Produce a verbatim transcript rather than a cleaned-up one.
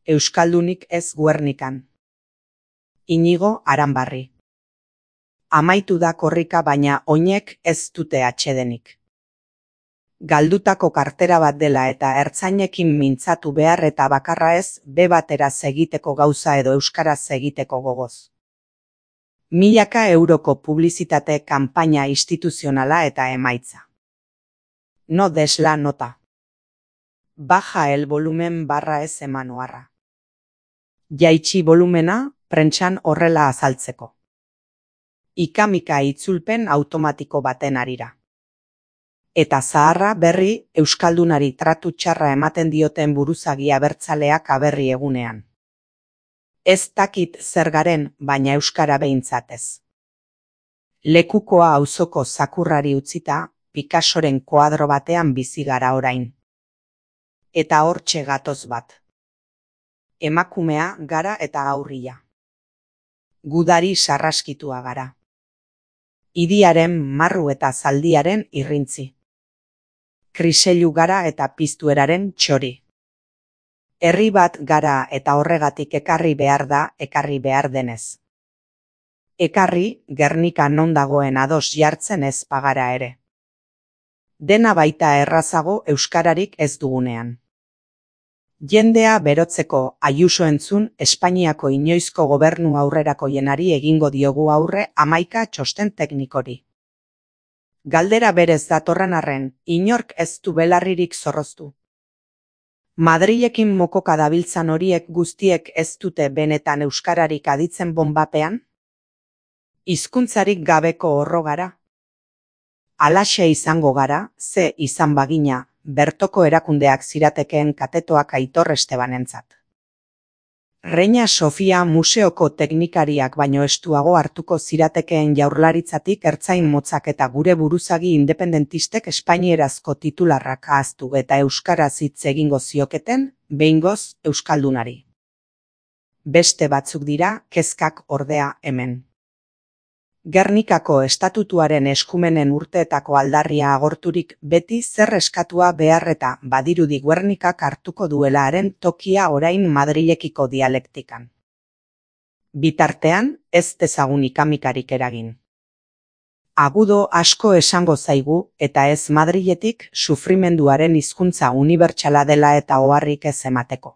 Euskaldunik ez Guernikan. Inigo Aranbarri. Amaitu da korrika baina oinek ez dute atsedenik. Galdutako kartera bat dela eta ertzainekin mintzatu behar eta bakarra ez be bateraz egiteko gauza edo euskaraz egiteko gogoz. Milaka euroko publizitate kanpaina instituzionala eta emaitza. No des la nota. Baja el volumen barra ez eman oharra. Jaitsi volumena, prentsan horrela azaltzeko. Ikamika itzulpen automatiko baten arira. Eta zaharra berri euskaldunari tratu txarra ematen dioten buruzagi abertzaleak aberri egunean. Ez dakit zer garen, baina euskara behintzatez. Lekukoa auzoko zakurrari utzita, Picassoren koadro batean bizi gara orain. Eta hortxe gatoz bat. Emakumea gara eta aurria. Gudari sarraskitua gara. Idiaren marru eta zaldiaren irrintzi. Kriseilu gara eta piztueraren txori. Herri bat gara eta horregatik ekarri behar da ekarri behar denez. Ekarri, Gernika non dagoen ados jartzen ez pagara ere. Dena baita errazago euskararik ez dugunean. Jendea berotzeko Ayuso entzun Espainiako inoizko gobernu aurrerako jenari egingo diogu aurre hamaika txosten teknikori. Galdera berez datorren arren, inork ez du belarririk zorroztu. Madrilekin mokoka dabiltzan horiek guztiek ez dute benetan euskararik aditzen bonbapean? Hizkuntzarik gabeko horro gara? Alaxe izango gara, ze izan bagina, bertoko erakundeak ziratekeen katetoak Aitor Estebanentzat. Reina Sofia museoko teknikariak baino estuago hartuko ziratekeen jaurlaritzatik ertzain motzak eta gure buruzagi independentistek espainierazko titularrak ahaztu eta euskaraz hitz egingo zioketen, behingoz euskaldunari. Beste batzuk dira, kezkak ordea hemen. Gernikako estatutuaren eskumenen urteetako aldarria agorturik beti zer eskatua behar eta badirudi Guernikak hartuko duelaren tokia orain Madrilekiko dialektikan. Bitartean, ez dezagun ikamikarik eragin. Agudo asko esango zaigu eta ez Madriletik sufrimenduaren hizkuntza unibertsala dela eta oharrik ez emateko.